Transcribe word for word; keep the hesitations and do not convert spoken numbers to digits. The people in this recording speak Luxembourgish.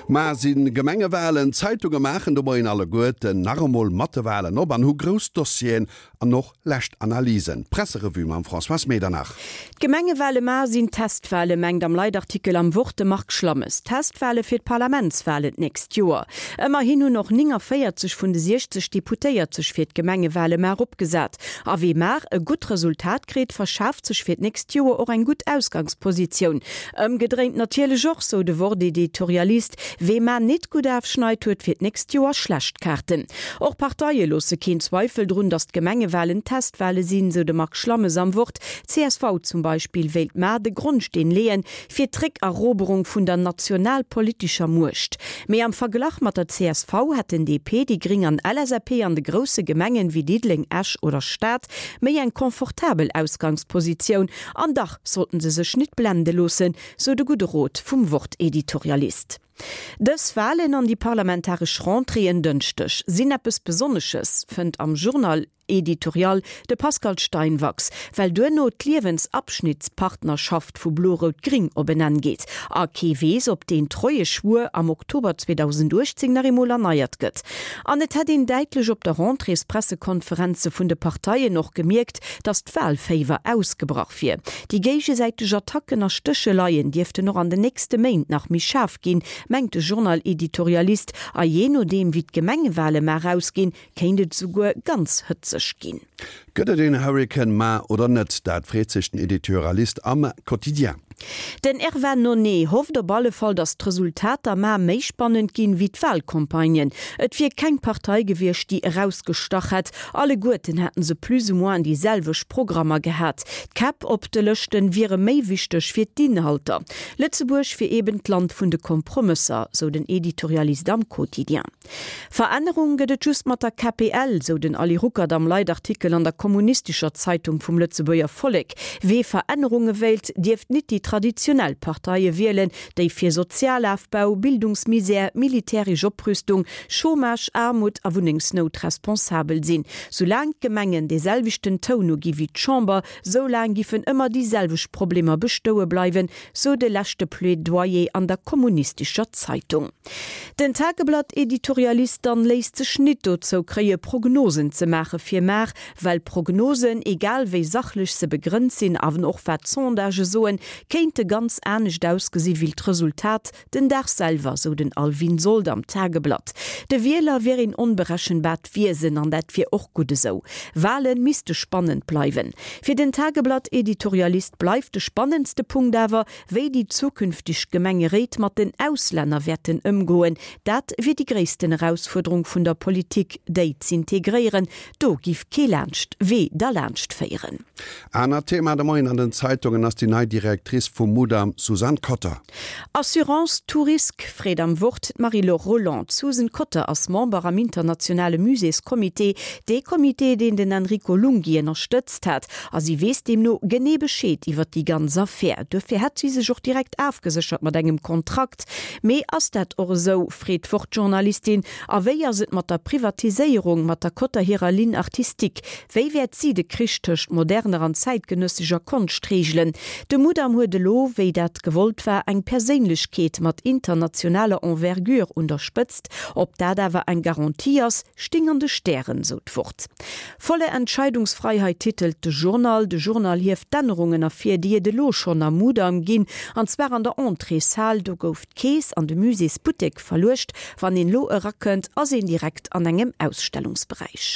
Mar si Gemengewalen. D'Zeitunge maachen de Moien alleguerten nach emol mat de Walen op an hu grouss Dossieren an och lescht Analysen. D'Presserevue mam Françoise Medernach. D'Gemengewale mar sinn Testwale, mengt am Leitartikel am Wort de Marc Schlammes. Testwale fir d'Parlamentswalen d'nächst Joer. Ëmmerhin hunn och néngavéierzeg vun de siechzeg Deputéiert sech fir d'Gemengewale mar opgesat. A wee mar e gutt Resultat kritt, verschaaft sech fir d'nächst Joer och eng gutt Ausgangspositioun. Ëmgedréint natierlech och, sou de Wort-Editorialist, Wee mar nit gutt ofschneit, huet fir d'nächst Joer schlecht Kaarten. Och Parteie loosse keen Zweifel drun, datt d'Gemengewalen Testwale sinn, sou de Marc Schlammes am Wort. Csv zum Beispill wéilt mar de Grondsteen leeën fir d'Réckeroberung vun der nationalpolitescher Muecht. Mee am Verglach mat der csv hätten D P, déi Gréng an L S A P an de grousse Gemengen wéi Diddeleng, Esch oder Stad méi eng confortabel Ausgangspositioun. An dach sollten se sech nit blende loossen, sou de gudde Rot vum Wort-Editorialist. Dës Walen an déi parlamentaresch Rentrée en Dënschdeg sinn eppes Besonnesches, fënnt am Journal-Editorial de Pascal Steinwachs, well duerno d'Liewensabschnittspartnerschaft vu Blo-Rout-Gring op en Enn geet. A kee weess, ob deen Treieschwuer am Oktober zweedausenduechtzéng nach eemol erneiert gëtt. An et hätt een däitlech op de Rentréespressekonferenze vun de Parteien och gemierkt, datt d'Walféiwer ausgebrach wier. Déi géigesäiteg Attacken a Stécheleien dierften och an den nächste Méint nach méi schaarf ginn, mengt de Journal-Editorialist, a jee nodeem wéi d'Gemengewale mar ausginn, kéint et souguer ganz hëtzeg ginn. Gëtt et een Hurrikan mar oder net? Dat freet sech den Editorialist am Quotidien. Den Erwan Nonet hofft op alle Fall, datt d'Resultater mar méi spannend ginn wéi d'Walcampagnen. Et wier keng Partei gewiescht, déi erausgestach hätt. Alleguerten hätten se plus ou moins déi selwecht Programmer gehat. D'Käpp op de Lëschten wiere méi wichteg wéi d'Inhalter. Lëtzebuerg wier eben d'Land vun de Kompromësser, sou den Editorialist am Quotidien. Verännerung gëtt et just mat der K P L, sou den Ali Ruckert am Leitartikel an der Kommunistescher Zeitung vum Lëtzebuerger Vollek. Wee Verännerunge wéilt, dierft nit déi traditionell Parteie wielen, déi fir Sozialofbau, Bildungsmisär, militäresch Oprüstung, Chômage, Aarmut a Wunnengsnout responsabel sinn. Soulaang d'Gemengen dee selwechten Toun uginn wéi d'Chamber, soulaang giffen ëmmer déi selwecht Problemer bestoe bleiwen, sou de leschte Plädoyer an der Kommunistescher Zeitung. Den Tageblatt-Editorialist dann léisst sech nit dozou kréie Prognosen ze maache fir mar, well Prognosen, egal wéi sachlech se begrënnt sinn, awer och wat Sondagë soen, kéinte ganz anescht ausgesi wéi d'Resultat den Dag selwer, sou den Alvin Sold am Tageblatt. De Wieler wier een onberechenbaart Wiesen an dat wier och gutt esou. Wale misste spannend bleiwen. Fir den Tageblatt-Editorialist bleift de spannendste Punkt awer, wéi déi zukünfteg Gemengeréit mat den Auslänner wäerten ëmgoen. Dat wier déi gréissten Erausfuerderung vun der Politik, déi z'integréieren. Do giff kee laanscht Wee derlaanscht féieren. Anert Thema de Moien an den Zeitungen ass déi nei Directrice vum Mudam, Suzanne Kotter. Assurance tous risques, freet am Wort d'Marie-Laure Rolland. D'Susan Kotter ass Member am internationale Muséescomité, dee Comité, deen den Enrico Lunghi ënnerstëtzt hat. A si weess deemno genee Bescheed iwwer déi ganz Affär. Dofir hätt si sech och direkt ofgeséchert mat engem Kontrakt. Mee ass dat och esou, freet d'Wort-Journalistin, a wéi ass et mat der Privatiséierung, mat der Kotter hirer Ligne artistique? Wéi wäert si de Krich tëscht moderner an zäitgenëssescher Konscht reegelen? De Mudam huet elo, wéi dat gewollt war, eng Perséinlechkeet mat internationaler Envergure un der Spëtzt. Ob dat awer eng Garantie ass, sting an de Stären, sou d'Wort. Volle Entscheidungsfreiheit titelt de Journal. De Journal hieft d'Ännerungen ervir, déi et elo schonn am Mudam ginn, an zwar an der Entréeshal. Do gouf d'Kees an de Muséesbuttek verluecht. Wann een elo erakënnt, ass een direkt an engem Ausstellungsberäich.